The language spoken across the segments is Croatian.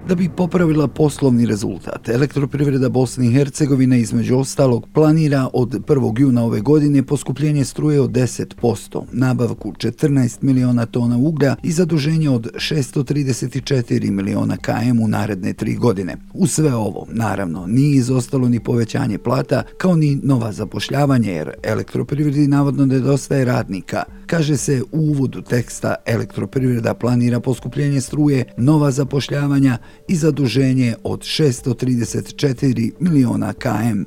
Da bi popravila poslovni rezultat, Elektroprivreda Bosne i Hercegovine između ostalog planira od 1. juna ove godine poskupljenje struje od 10%, nabavku 14 miliona tona uglja i zaduženje od 634 miliona km u naredne 3 godine. U sve ovo, naravno, nije izostalo ni povećanje plata, kao ni nova zapošljavanje, jer Elektroprivredi navodno nedostaje radnika. Kaže se u uvodu teksta, Elektroprivreda planira poskupljenje struje, nova zapošljavanja i zaduženje od 634 miliona km.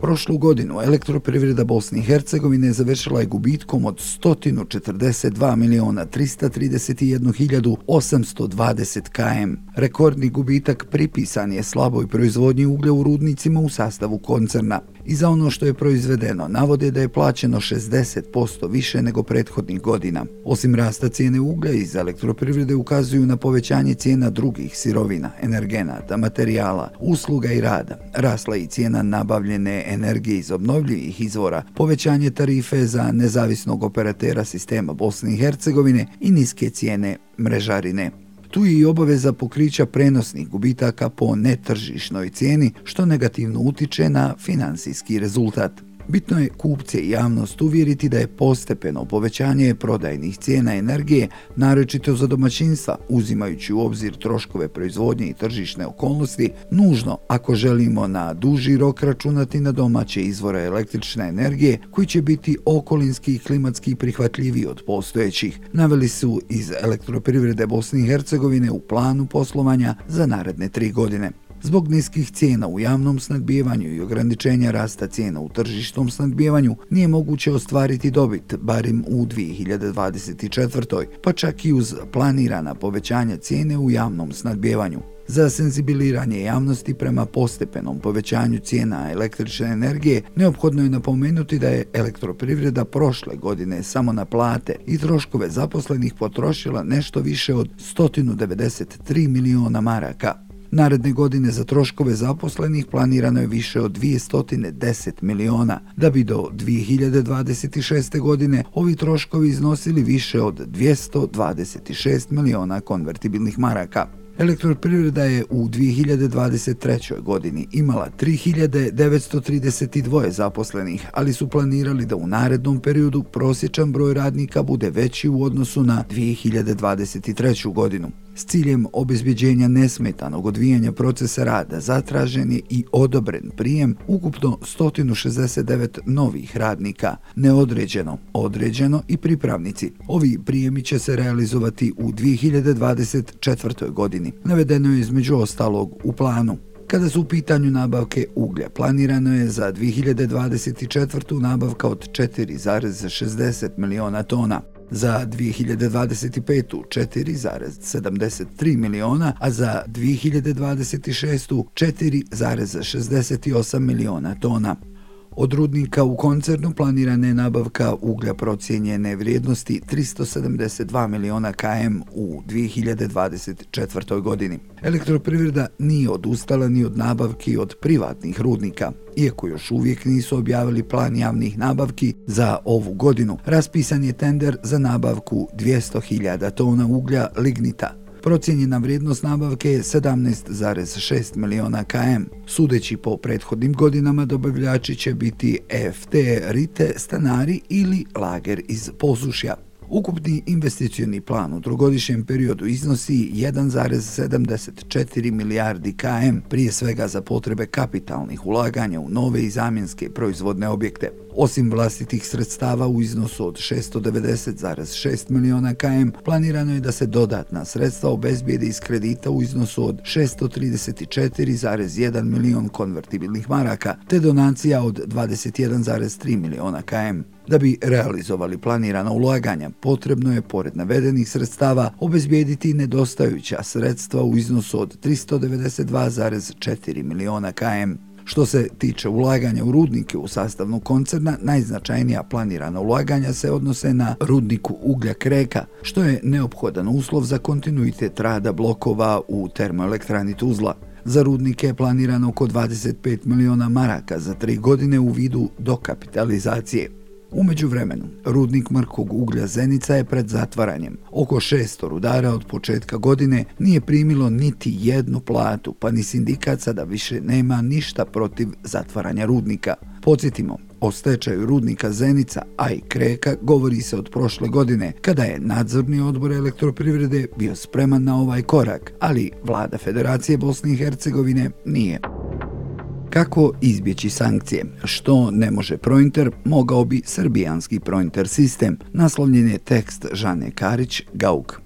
Prošlu godinu Elektroprivreda Bosne i Hercegovine završila je gubitkom od 142 miliona 331 hiljadu 820 km. Rekordni gubitak pripisan je slaboj proizvodnji uglja u rudnicima u sastavu koncerna. I za ono što je proizvedeno navode da je plaćeno 60% više nego prethodnih godina. Osim rasta cijene uglja, iz Elektroprivrede ukazuju na povećanje cijena drugih sirovina, energenata, materijala, usluga i rada. Rasla i cijena nabavljene energije iz obnovljivih izvora, povećanje tarife za nezavisnog operatera sistema Bosne i Hercegovine i niske cijene mrežarine. Tu je i obaveza pokrića prenosnih gubitaka po netržišnoj cijeni, što negativno utiče na finansijski rezultat. Bitno je kupce i javnost uvjeriti da je postepeno povećanje prodajnih cijena energije, naročito za domaćinstva, uzimajući u obzir troškove proizvodnje i tržišne okolnosti, nužno ako želimo na duži rok računati na domaće izvore električne energije koji će biti okolinski i klimatski prihvatljiviji od postojećih, naveli su iz Elektroprivrede Bosne i Hercegovine u planu poslovanja za naredne 3 godine. Zbog niskih cijena u javnom snabdijevanju i ograničenja rasta cijena u tržišnom snabdijevanju nije moguće ostvariti dobit, barem u 2024. pa čak i uz planirana povećanja cijene u javnom snabdijevanju. Za senzibiliranje javnosti prema postepenom povećanju cijena električne energije neophodno je napomenuti da je Elektroprivreda prošle godine samo na plate i troškove zaposlenih potrošila nešto više od 193 miliona maraka. Naredne godine za troškove zaposlenih planirano je više od 210 miliona, da bi do 2026. godine ovi troškovi iznosili više od 226 miliona konvertibilnih maraka. Elektroprivreda je u 2023. godini imala 3932 zaposlenih, ali su planirali da u narednom periodu prosječan broj radnika bude veći u odnosu na 2023. godinu. S ciljem obezbjeđenja nesmetanog odvijanja procesa rada zatražen je i odobren prijem ukupno 169 novih radnika, neodređeno, određeno i pripravnici. Ovi prijemi će se realizovati u 2024. godini. Navedeno je između ostalog u planu. Kada su u pitanju nabavke uglja, planirano je za 2024. nabavka od 4,60 miliona tona. Za 2025. 4,73 miliona, a za 2026. 4,68 miliona tona. Od rudnika u koncernu planirana je nabavka uglja procijenjene vrijednosti 372 miliona km u 2024. godini. Elektroprivreda nije odustala ni od nabavki od privatnih rudnika. Iako još uvijek nisu objavili plan javnih nabavki za ovu godinu, raspisan je tender za nabavku 200.000 tona uglja lignita. Procijenjena vrijednost nabavke je 17,6 miliona km. Sudeći po prethodnim godinama, dobavljači će biti EFT, Rite, stanari ili Lager iz Posušja. Ukupni investicioni plan u trogodišnjem periodu iznosi 1,74 milijardi km, prije svega za potrebe kapitalnih ulaganja u nove i zamjenske proizvodne objekte. Osim vlastitih sredstava u iznosu od 690,6 miliona km, planirano je da se dodatna sredstva obezbijede iz kredita u iznosu od 634,1 milion konvertibilnih maraka, te donacija od 21,3 miliona km. Da bi realizovali planirana ulaganja, potrebno je, pored navedenih sredstava, obezbijediti nedostajuća sredstva u iznosu od 392,4 miliona km. Što se tiče ulaganja u rudnike u sastavnu koncerna, najznačajnija planirana ulaganja se odnose na rudniku uglja Kreka, što je neophodan uslov za kontinuitet rada blokova u termoelektrani Tuzla. Za rudnike je planirano oko 25 miliona maraka za 3 godine u vidu dokapitalizacije. U međuvremenu, rudnik mrkog uglja Zenica je pred zatvaranjem. Oko 600 rudara od početka godine nije primilo niti jednu platu, pa ni sindikat sada više nema ništa protiv zatvaranja rudnika. Podsjetimo, o stečaju rudnika Zenica, a i Kreka govori se od prošle godine, kada je nadzorni odbor elektroprivrede bio spreman na ovaj korak, ali vlada Federacije Bosne i Hercegovine nije. Kako izbjeći sankcije? Što ne može Prointer, mogao bi srbijanski Prointer sistem, naslovljen je tekst Žane Karić, Gauk.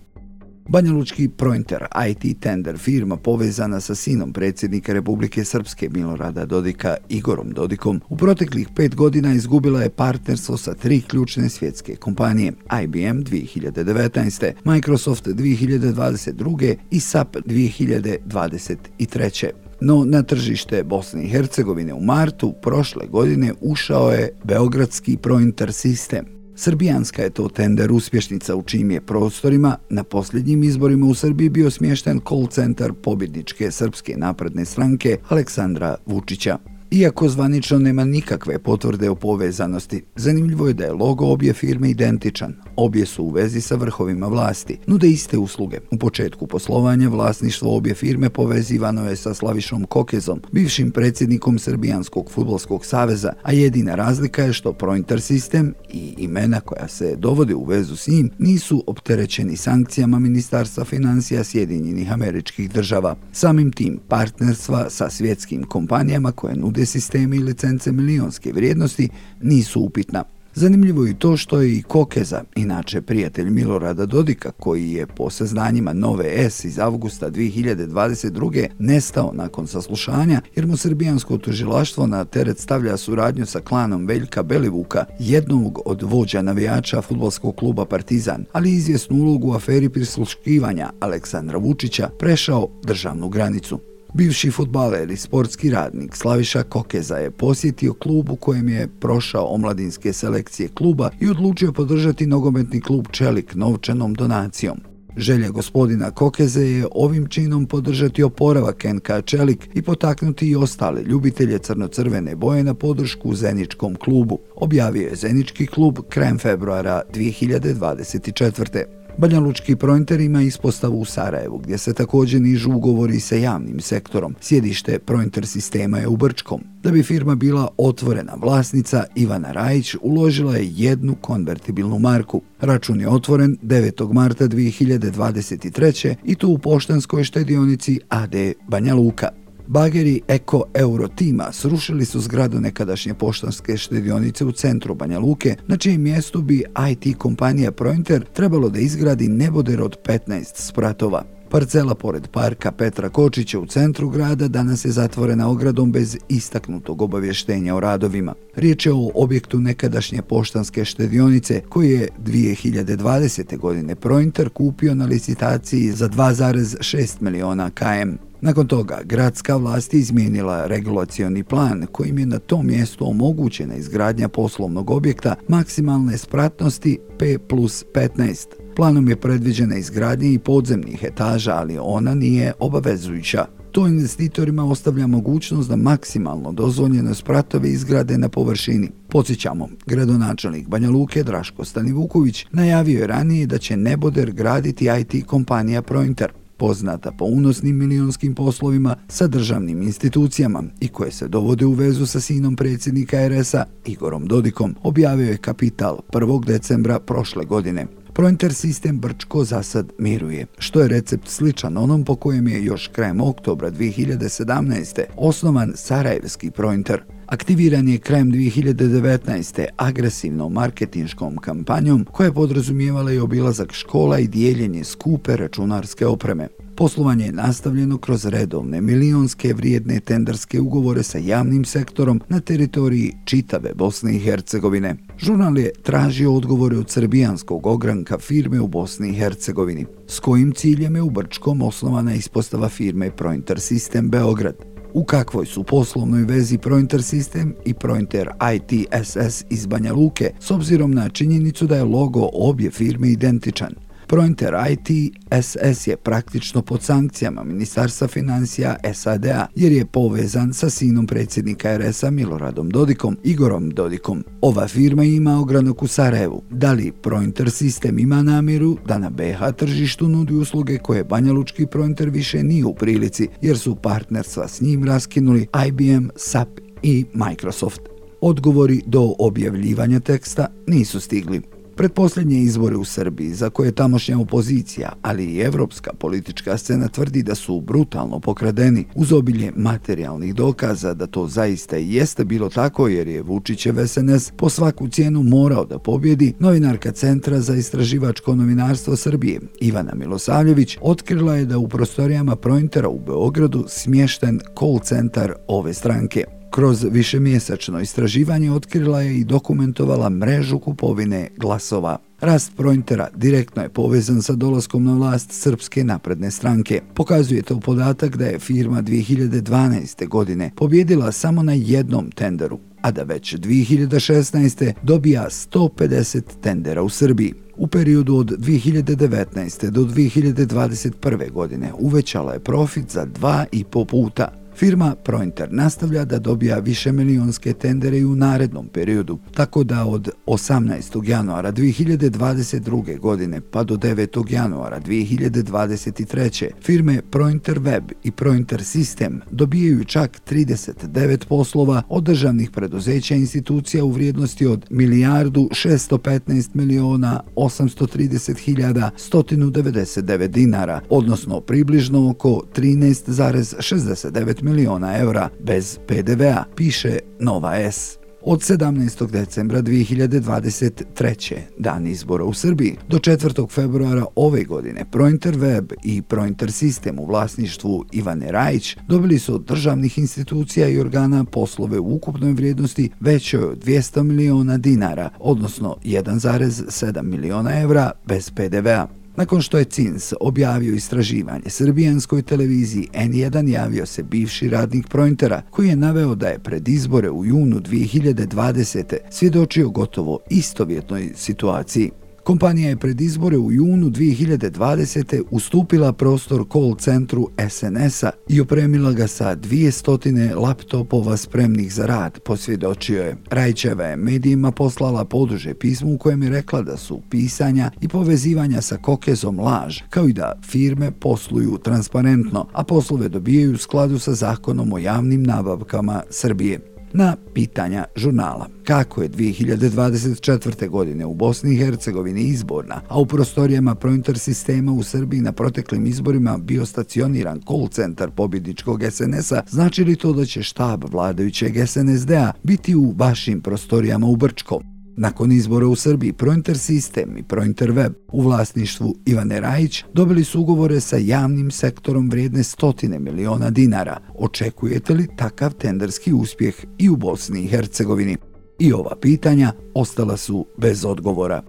Banjalučki Prointer, IT tender firma povezana sa sinom predsjednika Republike Srpske Milorada Dodika, Igorom Dodikom, u proteklih 5 godina izgubila je partnerstvo sa 3 ključne svjetske kompanije: IBM 2019. Microsoft 2022. i SAP 2023. No, na tržište Bosne i Hercegovine u martu prošle godine ušao je beogradski Prointer sistem. Srbijanska je to tender uspješnica u čijim je prostorima na posljednjim izborima u Srbiji bio smješten call centar pobjedničke Srpske napredne stranke Aleksandra Vučića. Iako zvanično nema nikakve potvrde o povezanosti, zanimljivo je da je logo obje firme identičan. Obje su u vezi sa vrhovima vlasti, nude iste usluge. U početku poslovanja vlasništvo obje firme povezivano je sa Slavišom Kokezom, bivšim predsjednikom Srbijanskog fudbalskog saveza, a jedina razlika je što Prointer sistem i imena koja se dovode u vezu s njim nisu opterećeni sankcijama Ministarstva financija Sjedinjenih Američkih Država. Samim tim partnerstva sa svjetskim kompanijama koje nude sisteme i licence milionske vrijednosti nisu upitna. Zanimljivo je to što je i Kokeza, inače prijatelj Milorada Dodika, koji je po saznanjima Nove S iz avgusta 2022. nestao nakon saslušanja, jer mu srbijansko tužilaštvo na teret stavlja suradnju sa klanom Veljka Belivuka, jednog od vođa navijača fudbalskog kluba Partizan, ali izvjesnu ulogu u aferi prisluškivanja Aleksandra Vučića prešao državnu granicu. Bivši fudbaler i sportski radnik Slaviša Kokeza je posjetio klub u kojem je prošao omladinske selekcije kluba i odlučio podržati nogometni klub Čelik novčanom donacijom. Želja gospodina Kokeze je ovim činom podržati oporavak NK Čelik i potaknuti i ostale ljubitelje crno-crvene boje na podršku Zeničkom klubu, objavio je Zenički klub krajem februara 2024. Banjalučki Prointer ima ispostavu u Sarajevu, gdje se također nižu ugovori sa javnim sektorom. Sjedište Prointer sistema je u Brčkom. Da bi firma bila otvorena, vlasnica Ivana Rajić uložila je jednu konvertibilnu marku. Račun je otvoren 9. marta 2023. i to u poštanskoj štedionici AD Banja Luka. Bageri Eko Euro tima srušili su zgradu nekadašnje poštanske štedionice u centru Banja Luke, na čijem mjestu bi IT kompanija Prointer trebalo da izgradi neboder od 15 spratova. Parcela pored parka Petra Kočića u centru grada danas je zatvorena ogradom bez istaknutog obavještenja o radovima. Riječ je o objektu nekadašnje poštanske štedionice koji je 2020. godine Prointer kupio na licitaciji za 2,6 miliona km. Nakon toga, gradska vlast je izmijenila regulacioni plan kojim je na tom mjestu omogućena izgradnja poslovnog objekta maksimalne spratnosti P+15. Planom je predviđena izgradnja i podzemnih etaža, ali ona nije obavezujuća. To investitorima ostavlja mogućnost da maksimalno dozvoljene spratove izgrade na površini. Podsjećamo, gradonačelnik Banja Luke Draško Stanivuković najavio je ranije da će neboder graditi IT kompanija Prointer, poznata po unosnim milionskim poslovima sa državnim institucijama i koje se dovode u vezu sa sinom predsjednika RS-a Igorom Dodikom, objavio je Kapital 1. decembra prošle godine. Prointer sistem Brčko za sad miruje, što je recept sličan onom po kojem je još krajem oktobra 2017. osnovan sarajevski Prointer. Aktiviran je krajem 2019. agresivnom marketinškom kampanjom koja je podrazumijevala i obilazak škola i dijeljenje skupe računarske opreme. Poslovanje je nastavljeno kroz redovne milionske vrijedne tenderske ugovore sa javnim sektorom na teritoriji čitave Bosne i Hercegovine. Žurnal je tražio odgovore od srbijanskog ogranka firme u Bosni i Hercegovini, s kojim ciljem je u Brčkom osnovana ispostava firme Prointer Sistem Beograd. U kakvoj su poslovnoj vezi Prointer Sistem i Prointer ITSS iz Banja Luke, s obzirom na činjenicu da je logo obje firme identičan. Prointer IT SS je praktično pod sankcijama Ministarstva financija SAD-a jer je povezan sa sinom predsjednika RS-a Miloradom Dodikom, Igorom Dodikom. Ova firma ima ogranak u Sarajevu. Da li Prointer sistem ima namjeru da na BiH tržištu nudi usluge koje banjalučki Prointer više nije u prilici jer su partnerstva s njim raskinuli IBM, SAP i Microsoft? Odgovori do objavljivanja teksta nisu stigli. Pretposljednje izbore u Srbiji, za koje tamošnja opozicija, ali i evropska politička scena tvrdi da su brutalno pokradeni, uz obilje materijalnih dokaza da to zaista i jeste bilo tako jer je Vučićev SNS po svaku cijenu morao da pobjedi, novinarka Centra za istraživačko novinarstvo Srbije, Ivana Milosavljević, otkrila je da u prostorijama Prointera u Beogradu smješten call centar ove stranke. Kroz višemjesečno istraživanje otkrila je i dokumentovala mrežu kupovine glasova. Rast Prointera direktno je povezan sa dolaskom na vlast Srpske napredne stranke. Pokazuje to podatak da je firma 2012. godine pobjedila samo na jednom tenderu, a da već 2016. dobija 150 tendera u Srbiji. U periodu od 2019. do 2021. godine uvećala je profit za 2,5 puta. Firma Prointer nastavlja da dobija višemilijonske tendere i u narednom periodu, tako da od 18. januara 2022. godine pa do 9. januara 2023. firme Prointer Web i Prointer System dobijaju čak 39 poslova od državnih preduzeća i institucija u vrijednosti od 1.615.830.199 dinara, odnosno približno oko 13,69 miliona evra bez PDV-a, piše Nova S. Od 17. decembra 2023. dan izbora u Srbiji do 4. februara ove godine Prointer Web i Prointer System u vlasništvu Ivane Rajić dobili su od državnih institucija i organa poslove u ukupnoj vrijednosti većoj od 200 miliona dinara, odnosno 1,7 miliona evra bez PDV-a. Nakon što je CINS objavio istraživanje srbijanskoj televiziji N1, javio se bivši radnik Prointera koji je naveo da je pred izbore u junu 2020. svjedočio gotovo istovjetnoj situaciji. Kompanija je pred izbore u junu 2020. ustupila prostor call centru SNS-a i opremila ga sa 200 laptopova spremnih za rad, posvjedočio je. Rajićeva je medijima poslala poduže pismo u kojem je rekla da su pisanja i povezivanja sa Kokezom laž, kao i da firme posluju transparentno, a poslove dobijaju u skladu sa zakonom o javnim nabavkama Srbije. Na pitanja žurnala kako je 2024. godine u Bosni i Hercegovini izborna, a u prostorijama Prointer sistema u Srbiji na proteklim izborima bio stacioniran call centar pobjedničkog SNS-a, znači li to da će štab vladajućeg SNSD-a biti u vašim prostorijama u Brčkom? Nakon izbora u Srbiji, Prointer System i Prointer Web u vlasništvu Ivane Rajić dobili su ugovore sa javnim sektorom vrijedne 100 miliona dinara. Očekujete li takav tenderski uspjeh i u Bosni i Hercegovini? I ova pitanja ostala su bez odgovora.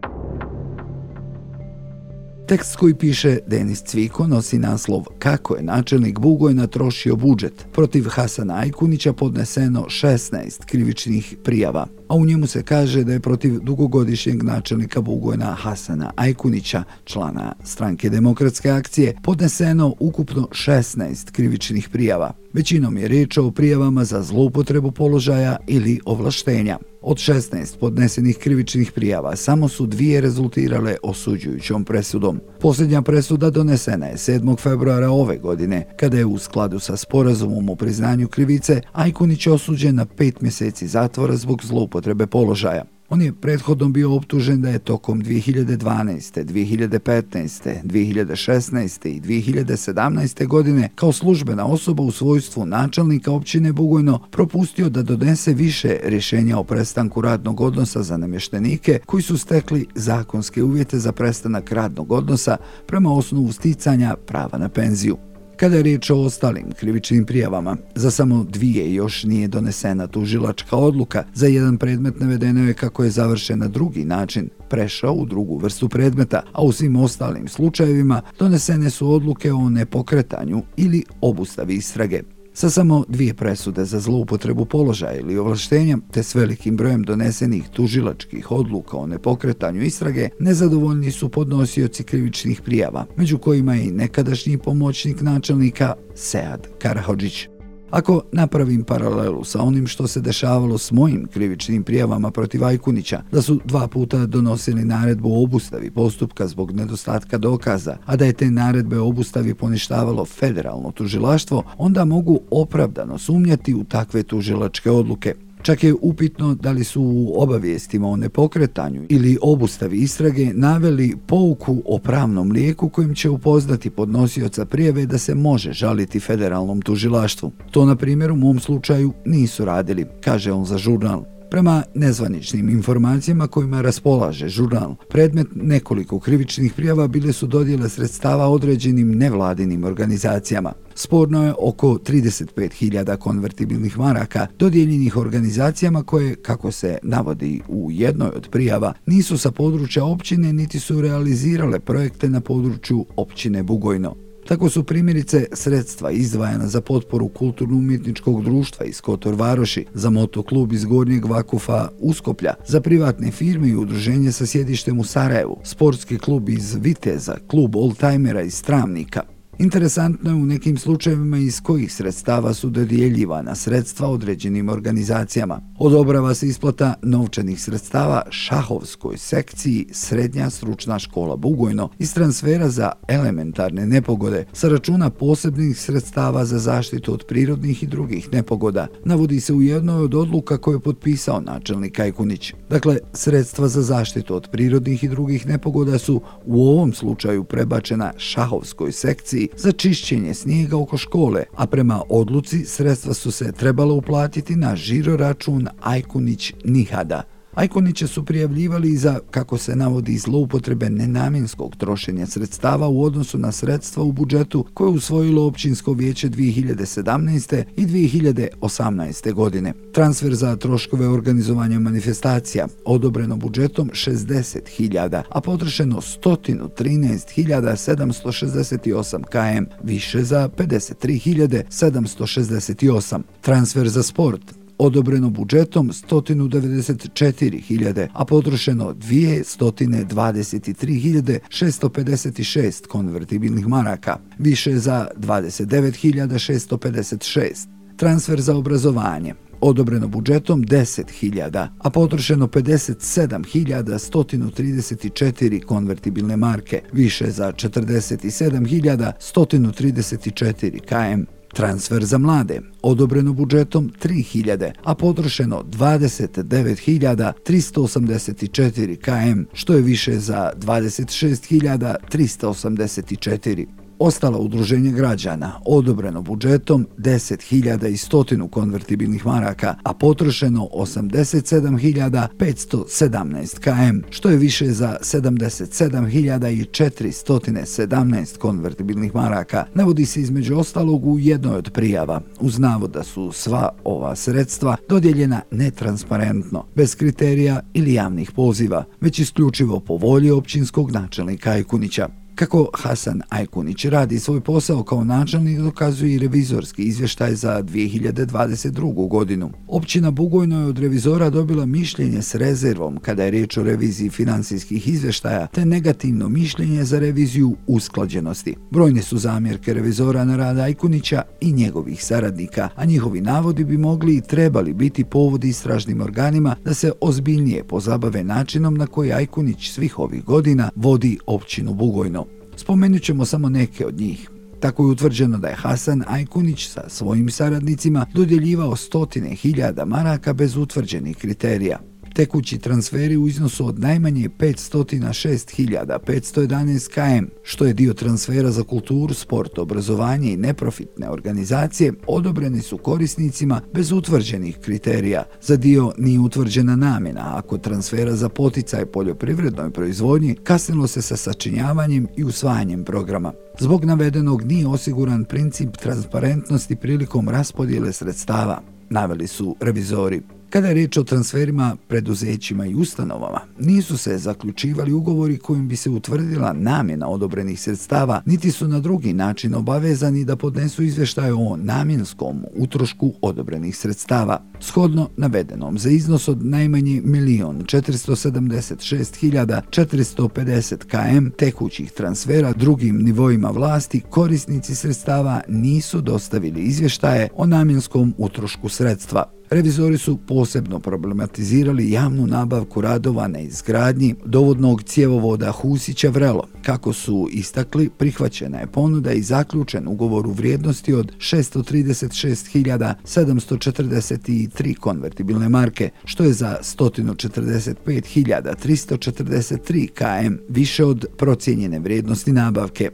Tekst koji piše Denis Cviko nosi naslov Kako je načelnik Bugojna trošio budžet. Protiv Hasana Ajkunića podneseno 16 krivičnih prijava, a u njemu se kaže da je protiv dugogodišnjeg načelnika Bugojna Hasana Ajkunića, člana Stranke demokratske akcije, podneseno ukupno 16 krivičnih prijava. Većinom je riječ o prijavama za zloupotrebu položaja ili ovlaštenja. Od 16 podnesenih krivičnih prijava samo su 2 rezultirale osuđujućom presudom. Posljednja presuda donesena je 7. februara ove godine, kada je u skladu sa sporazumom o priznanju krivice Ajkunić osuđen na 5 mjeseci zatvora zbog zloupotrebe položaja. On je prethodno bio optužen da je tokom 2012., 2015., 2016. i 2017. godine kao službena osoba u svojstvu načelnika općine Bugojno propustio da donese više rješenja o prestanku radnog odnosa za namještenike koji su stekli zakonske uvjete za prestanak radnog odnosa prema osnovu sticanja prava na penziju. Kada je riječ o ostalim krivičnim prijavama, za samo 2 još nije donesena tužilačka odluka. Za jedan predmet navedeno je kako je završen na drugi način, prešao u drugu vrstu predmeta, a u svim ostalim slučajevima donesene su odluke o nepokretanju ili obustavi istrage. Sa samo 2 presude za zloupotrebu položaja ili ovlaštenja, te s velikim brojem donesenih tužilačkih odluka o nepokretanju istrage, nezadovoljni su podnosioci krivičnih prijava, među kojima je i nekadašnji pomoćnik načelnika Sead Karahodžić. Ako napravim paralelu sa onim što se dešavalo s mojim krivičnim prijavama protiv Ajkunića, da su 2 puta donosili naredbu o obustavi postupka zbog nedostatka dokaza, a da je te naredbe o obustavi poništavalo federalno tužilaštvo, onda mogu opravdano sumnjati u takve tužilačke odluke. Čak je upitno da li su u obavijestima o nepokretanju ili obustavi istrage naveli pouku o pravnom lijeku kojim će upoznati podnosioca prijave da se može žaliti federalnom tužilaštvu. To, na primjer, u mom slučaju nisu radili, kaže on za žurnal. Prema nezvaničnim informacijama kojima raspolaže žurnal, predmet nekoliko krivičnih prijava bile su dodjele sredstava određenim nevladinim organizacijama. Sporno je oko 35.000 konvertibilnih maraka dodijeljenih organizacijama koje, kako se navodi u jednoj od prijava, nisu sa područja općine niti su realizirale projekte na području općine Bugojno. Tako su primjerice sredstva izdvajana za potporu kulturno-umjetničkog društva iz Kotor Varoši, za motoklub iz Gornjeg Vakufa Uskoplja, za privatne firme i udruženje sa sjedištem u Sarajevu, sportski klub iz Viteza, klub oldtimera iz Travnika. Interesantno je u nekim slučajevima iz kojih sredstava su dodjeljivana sredstva određenim organizacijama. Odobrava se isplata novčanih sredstava šahovskoj sekciji Srednja stručna škola Bugojno iz transfera za elementarne nepogode sa računa posebnih sredstava za zaštitu od prirodnih i drugih nepogoda, navodi se u jednoj od odluka koje je potpisao načelnik Ajkunić. Dakle, sredstva za zaštitu od prirodnih i drugih nepogoda su u ovom slučaju prebačena šahovskoj sekciji za čišćenje snijega oko škole, a prema odluci sredstva su se trebala uplatiti na žiro račun Ajkunić Nihada. Ajkuniće su prijavljivali i za, kako se navodi, zloupotrebe nenamjenskog trošenja sredstava u odnosu na sredstva u budžetu koje je usvojilo općinsko vijeće 2017. i 2018. godine. Transfer za troškove organizovanja manifestacija odobreno budžetom 60.000, a potrošeno 113.768 km, više za 53.768. Transfer za sport odobreno budžetom 194.000, a potrošeno 223.656 konvertibilnih maraka, više za 29.656. Transfer za obrazovanje odobreno budžetom 10.000, a potrošeno 57.134 konvertibilne marke, više za 47.134 km. Transfer za mlade odobreno budžetom 3.000, a potrošeno 29.384 km, što je više za 26.384. Ostala udruženja građana odobreno budžetom 10.100 konvertibilnih maraka, a potrošeno 87.517 km, što je više za 77.417 konvertibilnih maraka, navodi se između ostalog u jednoj od prijava, uz navod da su sva ova sredstva dodijeljena netransparentno, bez kriterija ili javnih poziva, već isključivo po volji općinskog načelnika Ajkunića. Kako Hasan Ajkunić radi svoj posao kao načelnik dokazuje i revizorski izvještaj za 2022. godinu. Općina Bugojno je od revizora dobila mišljenje s rezervom kada je riječ o reviziji financijskih izvještaja, te negativno mišljenje za reviziju usklađenosti. Brojne su zamjerke revizora na rad Ajkunića i njegovih saradnika, a njihovi navodi bi mogli i trebali biti povod istražnim organima da se ozbiljnije pozabave načinom na koji Ajkunić svih ovih godina vodi općinu Bugojno. Spomenut ćemo samo neke od njih. Tako je utvrđeno da je Hasan Ajkunić sa svojim saradnicima dodjeljivao 100.000 maraka bez utvrđenih kriterija. Tekući transferi u iznosu od najmanje 506.511 km, što je dio transfera za kulturu, sport, obrazovanje i neprofitne organizacije, odobreni su korisnicima bez utvrđenih kriterija. Za dio nije utvrđena namjena, a kod transfera za poticaj poljoprivrednoj proizvodnji kasnilo se sa sačinjavanjem i usvajanjem programa. Zbog navedenog nije osiguran princip transparentnosti prilikom raspodjele sredstava, naveli su revizori. Kada je riječ o transferima preduzećima i ustanovama, nisu se zaključivali ugovori kojim bi se utvrdila namjena odobrenih sredstava, niti su na drugi način obavezani da podnesu izvještaj o namjenskom utrošku odobrenih sredstava. Shodno navedenom, za iznos od najmanje 1.476.450 km tekućih transfera drugim nivoima vlasti, korisnici sredstava nisu dostavili izvještaje o namjenskom utrošku sredstva. Revizori su posebno problematizirali javnu nabavku radova na izgradnji dovodnog cjevovoda Husića-Vrelo. Kako su istakli, prihvaćena je ponuda i zaključen ugovor u vrijednosti od 636.743 konvertibilne marke, što je za 145.343 km više od procijenjene vrijednosti nabavke.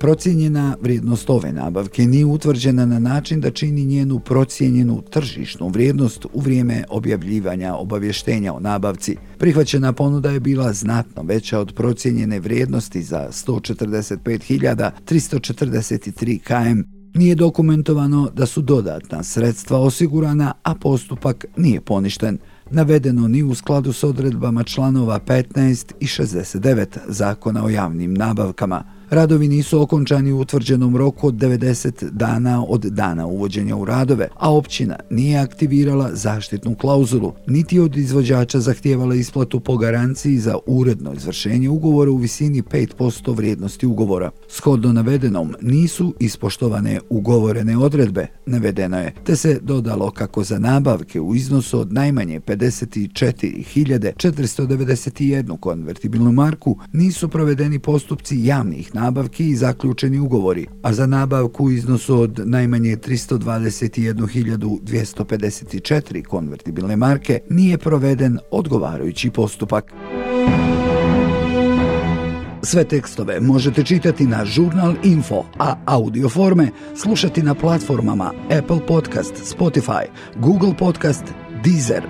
Procijenjena vrijednost ove nabavke nije utvrđena na način da čini njenu procijenjenu tržišnu vrijednost u vrijeme objavljivanja obavještenja o nabavci. Prihvaćena ponuda je bila znatno veća od procijenjene vrijednosti za 145.343 km. Nije dokumentovano da su dodatna sredstva osigurana, a postupak nije poništen. Navedeno ni u skladu s odredbama članova 15 i 69 Zakona o javnim nabavkama. Radovi nisu okončani u utvrđenom roku od 90 dana od dana uvođenja u radove, a općina nije aktivirala zaštitnu klauzulu, niti od izvođača zahtijevala isplatu po garanciji za uredno izvršenje ugovora u visini 5% vrijednosti ugovora. Shodno navedenom, nisu ispoštovane ugovorene odredbe, navedeno je, te se dodalo kako za nabavke u iznosu od najmanje 54.491 konvertibilnu marku nisu provedeni postupci javnih nabavki i zaključeni ugovori, a za nabavku u iznosu od najmanje 321.254 konvertibilne marke nije proveden odgovarajući postupak. Sve tekstove možete čitati na Žurnal Info, a audio forme slušati na platformama Apple Podcast, Spotify, Google Podcast, Deezer.